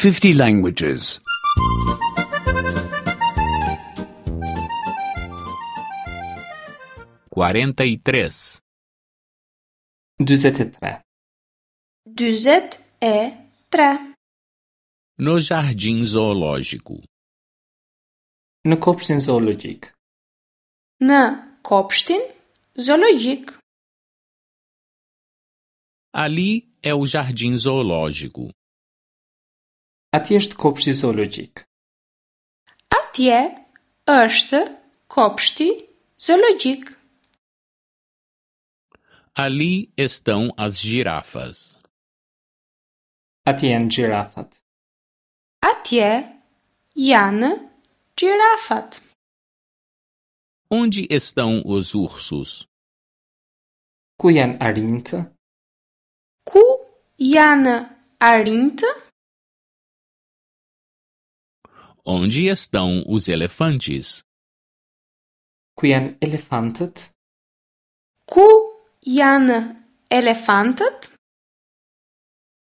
50 languages. 43. 43. 43. No jardim zoológico. Në kopshtin zoologjik. Në kopshtin zoologjik. Ali é o jardim zoológico. Atje është kopshti zoologjik. Atje është kopshti zoologjik. Ali estão as girafas. Atje janë gjirafat. Atje janë gjirafat. Onde estão os ursos? Ku janë arinjtë? Ku janë arinjtë? Onde estão os elefantes? Ku janë elefantët? Ku janë elefantët?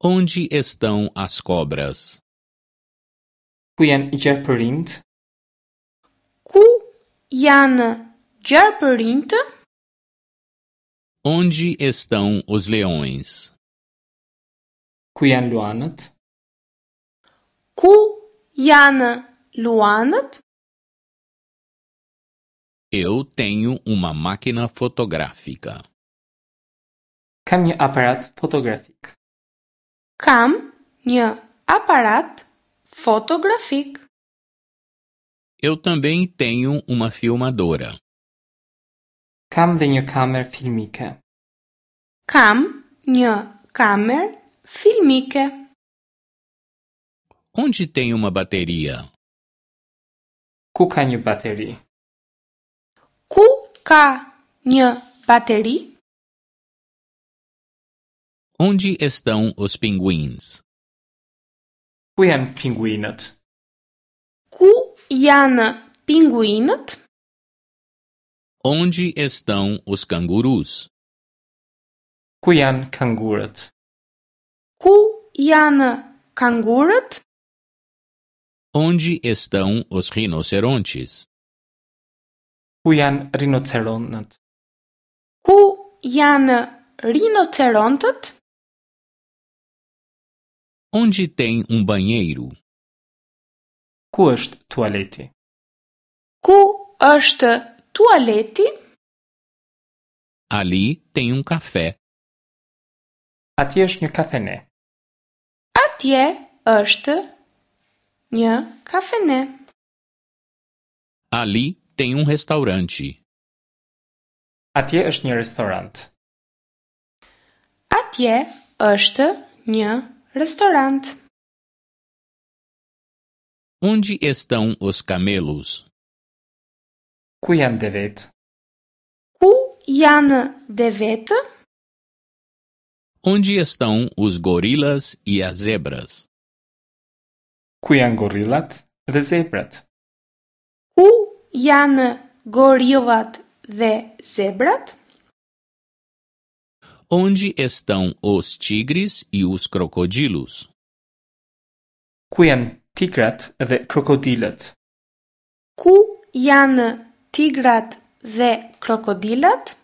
Onde estão as cobras? Ku janë gjarpërinjtë? Ku janë gjarpërinjtë? Onde estão os leões? Ku janë luanët? Ku janë luanët? Eu tenho uma máquina fotográfica. Kam një aparat fotografik. Kam një aparat fotografik. Eu também tenho uma filmadora. Kam dhe një kamerë filmike. Kam një kamerë filmike. Onde tem uma bateria? Ku ka një bateri? Ku ka një bateri? Onde estão os pinguins? Ku janë pinguinët? Ku janë pinguinët? Onde estão os cangurus? Ku janë kangurët? Ku janë kangurët? Onde estão os rinocerontes? Ku janë rinoceronët? Ku janë rinocerontët? Onde tem um banheiro? Ku është tualeti? Ku është tualeti? Ali tem um café. Atje është një kafene. Atje është një kafene. Ali tem um restaurante. Atje është një restorant. Atje është një restorant. Onde estão os camelos? Ku janë devet? Ku janë devetë? Onde estão os gorilas e as zebras? Ku janë gorillat dhe zebrat? Ku janë gorillat dhe zebrat? Onde estão os tigres e os crocodilos? Ku janë tigrat dhe krokodilët? Ku janë tigrat dhe krokodilat?